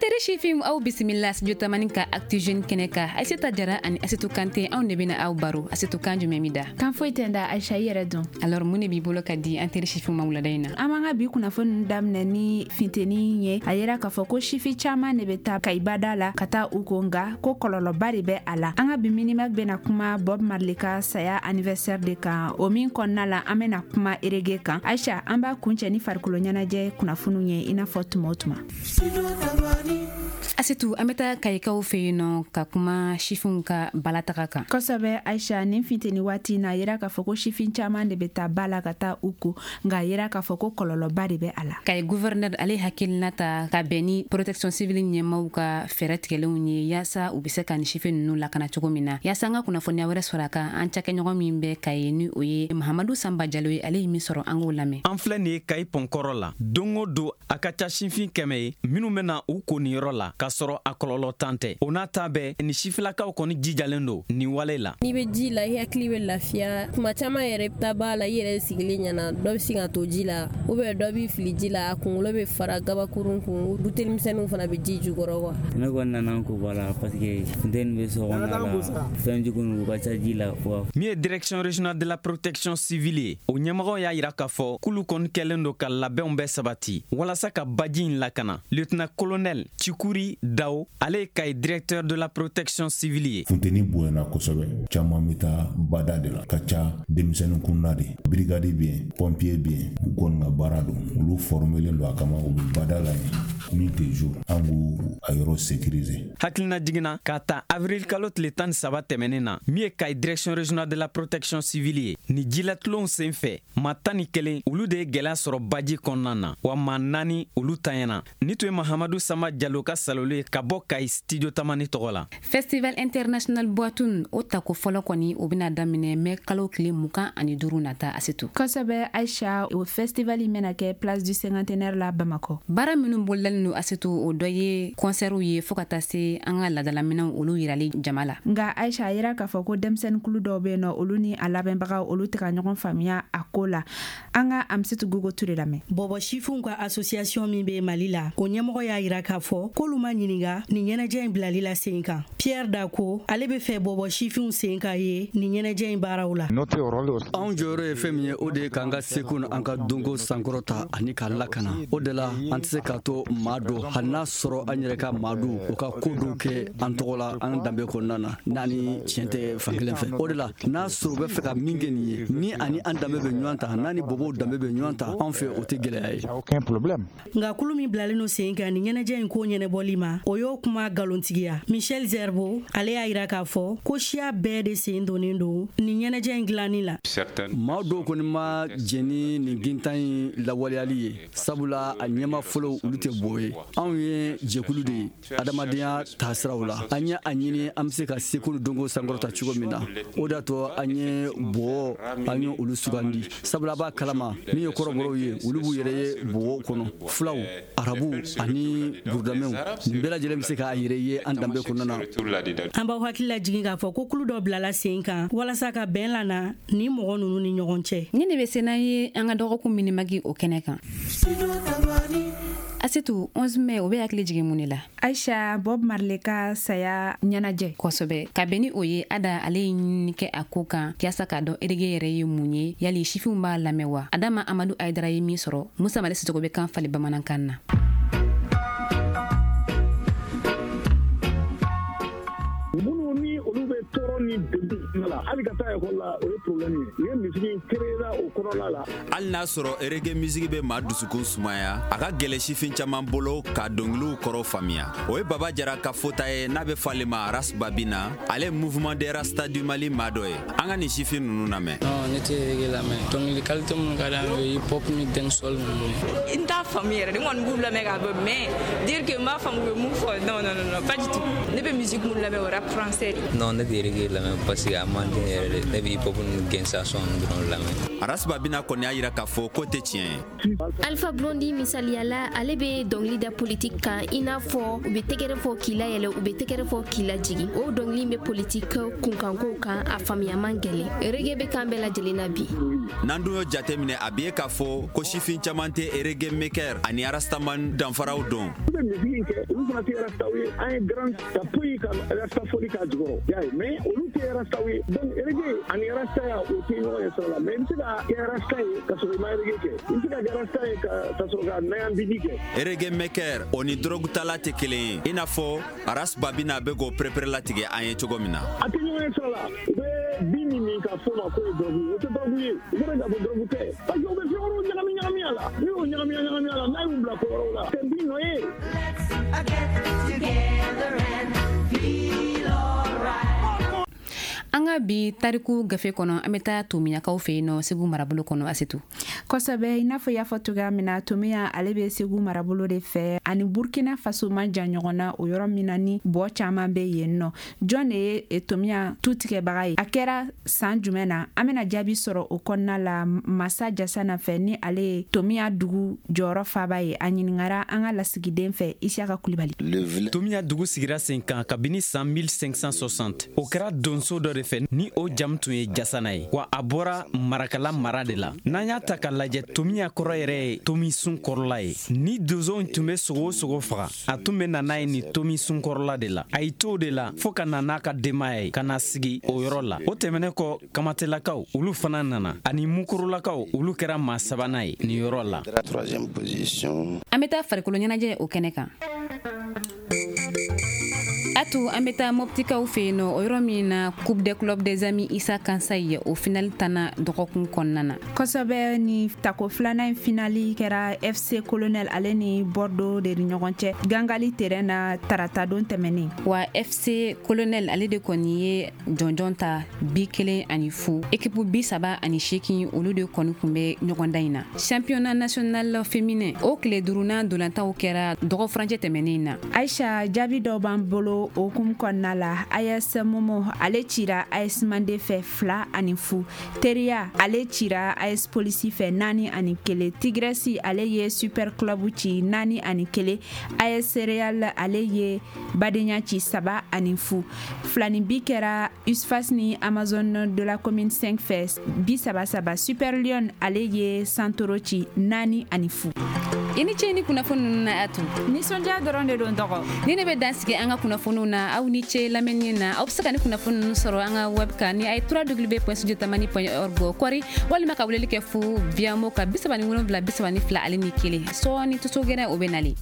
Teri sifin, aw bisimila Studio Tamani ka Actu Jeune kɛnɛ kan. Aïssata Jara ani Asetu Kante, anw de bɛna aw baro. Asetu, kan jumɛn b'i da? Kan foyi tɛ n da, Aïcha. I yɛrɛ dun? Alors, mun de b'i bolo ka di an teri sifin ma wulada in na? An b'an ka bi kunnafoni daminɛ ni finteni ye. A yera k'a fɔ ko sifi caman de bɛ taa Kayibada la ka taa u ko, nka ko kɔlɔlɔba de bɛ a la. An ka bi Minimag bɛna kuma Bob Marley ka saya anniversaire de kan, o min kɔnɔna la an bɛna kuma reggae kan. Aïcha, an b'a kuncɛ ni farikolo ɲɛnajɛ kunnafoniw ye, i n'a fɔ tuma o tuma. Asetu, an bɛ taa Kayikaw fɛ yen nɔ ka kuma sifinw ka balataga kan. Kosɛbɛ, Aïcha. Nin finteni waati na, a yera k'a fɔ ko sifin caman de bɛ taa ba la ka taa u ko, nka a yera k'a fɔ ko kɔlɔlɔba de bɛ a la. Kayi gouverneur, ale hakilina ta ka bɛn ni protection civile ɲɛmaw ka fɛɛrɛ tigɛlenw ye, yaasa u bɛ se ka nin sifin ninnu lakana cogo min na. Yaasa an ka kunnafoniya wɛrɛ sɔrɔ a kan, an cakɛɲɔgɔn min bɛ Kayi, ni o ye Mahamadu Sanba Jalo ye, ale ye min sɔrɔ, an k'o lamɛn. An filɛ nin ye Kayi pɔnkɔrɔ la. Don o don, a ka ca sifin 100 ye minnu bɛna u ko nin yɔrɔ la, k'a sɔrɔ a kɔlɔlɔ tan tɛ. O n'a ta bɛɛ, ni sifilakaw kɔni jijalen don nin wale la. N'i bɛ ji la, i hakili bɛ lafiya. Tuma caman yɛrɛ, i bɛ taa ba la, i yɛrɛ sigilen ɲɛna, dɔ bɛ sin ka to ji la, ou bien dɔ b'i fili ji la, a kunkolo bɛ fara gabakurun kun. Buteli misɛnninw fana bɛ ji jukɔrɔ quoi. Ne kɔni nana n ko ba la parce que funteni bɛ so kɔnɔna la, fɛn jugu ninnu ka ca ji la. Min ye direction régionale de la protection civile ye, o ɲɛmɔgɔw y'a yira k'a fɔ k'olu kɔni kɛlen don ka labɛnw bɛɛ sabati walasa ka baji in lakana. Lieutenant colonel Cikuri Dao, ale ye Kayi directeur de la protection civile ye. Funteni bonyana kosɛbɛ, caman bɛ taa bada de la, ka ca denmisɛnnin kunda de. Brigade bɛ yen, pompier bɛ yen, u kɔni ka baara don, olu formelen don a kama, u bɛ bada la yen nuit et jour, an k'u a yɔrɔ sécuriser. Hakilina jiginna k'a ta avril kalo tile 13 tɛmɛnen na, min ye Kayi direction régionale de la protection civile ye, ni jilatulonw sen fɛ, maa 11, olu de ye gwɛlɛya sɔrɔ baji kɔnɔna na, wa maa 4, olu tanyana. Ni tun ye Mahamadu Sama Jalo ka salolu ye ka bɔ Kayi, Studio Tamani tɔgɔ la. Festival international Bwatun, o tako fɔlɔ kɔni, o bɛna daminɛ mɛ kalo tile 25 nata, Asetu. Kosɛbɛ, Aïcha. O festival in bɛna kɛ place du Cinquantenaire la Bamakɔ. Baara minnu bolodalen don, Asetu, o dɔ ye kɔnsɛriw ye, fɔɔ ka taa se an ka ladalaminɛw, olu yirali jama la. Nka Aïcha, a yira k'a fɔ ko denmisɛnninkulu dɔw bɛ yen nɔ, olu ni a labɛnbagaw, olu tɛ ka ɲɔgɔn faamuya a ko la. An ka Amisitu Gogo Ture lamɛn. Bɔbɔ sifinw ka association min bɛ Mali la, o ɲɛmɔgɔ y'a yira k'a fɔ k'olu ma ɲininga nin ɲɛnajɛ in bilali la sen kan. Pierre Dako, ale bɛ fɛ bɔbɔ sifinw sen ka ye nin ɲɛnajɛ in baaraw la. Anw jɔyɔrɔ ye fɛn min ye, o de ye k'an ka seko ni an ka donko sankɔrɔta ani k'a lakana. O de la, an tɛ se k'a to maa dɔ, hali n'a sɔrɔ an yɛrɛ ka maa dɔw, o ka ko dɔw kɛ an tɔgɔ la an danbe kɔnɔna na, n'a ni tiɲɛ tɛ fankelen fɛ. O de la, n'a sɔrɔ u bɛ fɛ ka min kɛ nin ye, ni ani an danbe bɛ ɲɔgɔn ta, n'a ni bɔbɔw danbe bɛ ɲɔgɔn ta, anw fɛ o tɛ gɛlɛya ye. Nka kulu min bilalen no sen kan nin ɲɛnajɛ in ko ɲɛnɛbɔli ma, o y'o kuma nkalontigiya. Michel Zerbo, ale y'a yira k'a fɔ ko siya bɛɛ de sen donnen don nin ɲɛnajɛ in dilanni la. Maa dɔw kɔni ma jɛn ni nin gintan in lawaleyali ye, sabula a ɲɛma fɔlɔ, olu tɛ bɔ ye. Anw ye jɛkulu de ye adamadenya taasiraw la. An ye a ɲini an bɛ se ka seko ni dɔnko sankɔrɔta cogo min na, o de y'a to an ye bɔ, an ye olu sugandi, sabula a b'a kalama, min ye kɔrɔbɔrɔw ye, olu b'u yɛrɛ ye bɔgɔ kɔnɔ, fulaw, arabuw ani burudamɛw, nin bɛɛ lajɛlen bɛ se k'a yɛrɛ ye an danbe kɔnɔna na. An b'aw hakili lajigin k'a fɔ ko kulu dɔ bilala sen kan walasa ka bɛn lana ni mɔgɔ ninnu ni ɲɔgɔn cɛ. Ni de bɛ se n'an ye an ka dɔgɔkun Minimag, o kɛnɛ kan. Asetu, 11 mai, o bɛ hakili jigin mun de la? Aïcha, Bob Marley ka saya ɲɛnajɛ. Kosɛbɛ. Ka bɛn ni o ye, Ada, ale ye ɲinini kɛ a ko kan yaasa k'a dɔn reggae yɛrɛ ye mun ye, yali sifinw b'a lamɛn wa? Adama Amadu Ayidara ye min sɔrɔ, Musa Male Sisoko bɛ kan fali bamanankan na. Minnu ni olu bɛ tɔɔrɔ ni degun la, hali ka taa ekɔli la, o ye problème ye. U ye misiri in créer o kɔnɔna la. Hali n'a sɔrɔ reggae musique bɛ maa dusukun sumaya, a ka gɛlɛ sifin caman bolo ka dɔnkiliw kɔrɔ faamuya. O ye Baba Jara ka fota ye, n'a bɛ fɔ ale ma Ras Babina. Ale Mouvement des Rasta du Mali maa dɔ ye. An ka nin sifin ninnu lamɛn. Non, ne tɛ reggae lamɛn. Dɔnkili qualité minnu ka di an ye, hip hop ni dancehall ninnu ye. N t'a faamu yɛrɛ de, n kɔni b'u lamɛn k'a bɔ, mais dire que n b'a faamu u bɛ mun fɔ, non, non, non, pas du tout. Ne bɛ musique mun lamɛn, o rap français de. Non, ne tɛ reggae lamɛn parce que a man di ne yɛrɛ de. Ne bɛ hip hop ni gangsta song dɔrɔn lamɛn. Ras Babina kɔni y'a yira k'a fɔ k'o tɛ tiɲɛ ye. Alpha Blondy misaliya la, ale bɛ dɔnkili da politiki kan, i n'a fɔ u bɛ tɛgɛrɛ fɔ k'i layɛlɛ, u bɛ tɛgɛrɛ fɔ k'i lajigin. O dɔnkili bɛ politiki kunkankow kan, a faamuya man gɛlɛn. Reggae bɛ kan bɛɛ lajɛlen na bi. N'an dun y'o jateminɛ, a bɛ ye k'a fɔ ko sifin caman tɛ reggae maker ani rastaman danfaraw dɔn. U bɛ misigi kɛ, olu fana tɛ rastaw ye. An ye grand ka poyi ka rasta foli k'a jukɔrɔ, y'a ye, mais olu tɛ rastaw ye. Donc reggae ani rastaya, o tɛ ɲɔgɔn ye sira la. Mais i bɛ se ka kɛ rasta ye ka sɔrɔ i ma reggae kɛ, i bɛ se ka kɛ rasta ye ka sɔrɔ ka nayanbidi kɛ. Reggae maker, o ni drogue tala tɛ kelen ye, i n'a fɔ Ras Babina bɛ k'o perepere latigɛ an ye cogo min na. A tɛ ɲɔgɔn ye sira la. U bɛ bin min min ka fɔ ma k'o ye drogue, o tɛ drogue ye. U bɛ k'a fɔ drogue tɛ parce que u bɛ fɛn wɛrɛw ɲagami ɲagami a la. N'u y'o ɲagami ɲagami a la, n'a y'u bila ko wɛrɛw la, tɛ bin nɔ ye. Together and feel alright. An ka bi tariku gafe kɔnɔ, an bɛ taa Tomiyakaw fɛ yen nɔ, Segu marabolo kɔnɔ, Asetu. Kosɛbɛ, i n'a fɔ i y'a fɔ cogoya min na, Tomiya, ale bɛ Segu marabolo de fɛ, ani Burkina Faso man jan ɲɔgɔn na. O yɔrɔ min na ni bɔ caman bɛ yen nɔ, jɔn de ye Tomiya tu tigɛbaga ye? A kɛra san jumɛn na? An bɛna jaabi sɔrɔ o kɔnɔna la Masa Jasana fɛ, ni ale ye Tomiya dugu jɔyɔrɔ faba ye. A ɲiningara an ka lasigiden fɛ, Isiyaka Kulibali. Tomiya dugu sigira sen kan kabini san 1560. O kɛra donso dɔ de fɛ, ni o jamu tun ye Jasana ye, wa a bɔra Marakala mara de la. N'an y'a ta ka lajɛ, Tomiya kɔrɔ yɛrɛ ye tomi sun kɔrɔla ye. Ni donsow tun be sogo o sogo faga, a tun be na n'a ye nin tomi sun kɔrɔla de la. A y'i to o de la fɔɔ ka na n'a ka denbaya ye ka na sigi o yɔrɔ la. O tɛmɛnen kɔ, Kamatelakaw, olu fana nana, ani Mukorolakaw, olu kɛra maa sabanan ye nin yɔrɔ la. An bɛ taa farikolo ɲɛnajɛ o kɛnɛ kan. Atu, an bɛ taa Mɔptikaw fɛ yen nɔ, o yɔrɔ min na Coupe des clubs des amis Isa Kansayi, o finali tanna dɔgɔkun kɔnɔna na. Kosɛbɛ, ni tako filanan in finali kɛra FC Colonel ale ni Bordeaux de ni ɲɔgɔn cɛ Gangali terrain na taratadon tɛmɛnen. Wa FC Colonel, ale de kɔni ye jɔnjɔn ta, 1-0. Équipe 38, olu de kɔni kun bɛ ɲɔgɔndan in na. Championnat national féminin, o tile duurunan dolantaw kɛra dɔgɔ furancɛ tɛmɛnen na. Aisha, jaabi dɔw b'an bolo o hukumu kɔnɔna la. AS Momo, ale cira AS Mande fɛ 2-0. Teriya, ale cira AS Polisi fɛ 4-1. Tigresi, ale ye Super Club ci 4-1. AS Real, ale ye Badenya ci 3-0. Filani bi kɛra USFAS ni Amazon de la commune 5 fɛ 3-3. Super Lion, ale ye Santoro ci 4-0. I ni ce ni kunnafoni ninnu na, Atu. Nisɔndiya dɔrɔn de don, dɔgɔ. Ni ne bɛ dan sigi an ka kunnafoniw na. Aw ni ce lamɛnni na. Aw bɛ se ka ni kunnafoni ninnu sɔrɔ an ka web kan, ni a ye www.studiotamani.org kɔri, walima ka weleli kɛ fu Viamo ka 37 32 ani 1. Sɔɔni, tuso gɛrɛ o bɛ nali.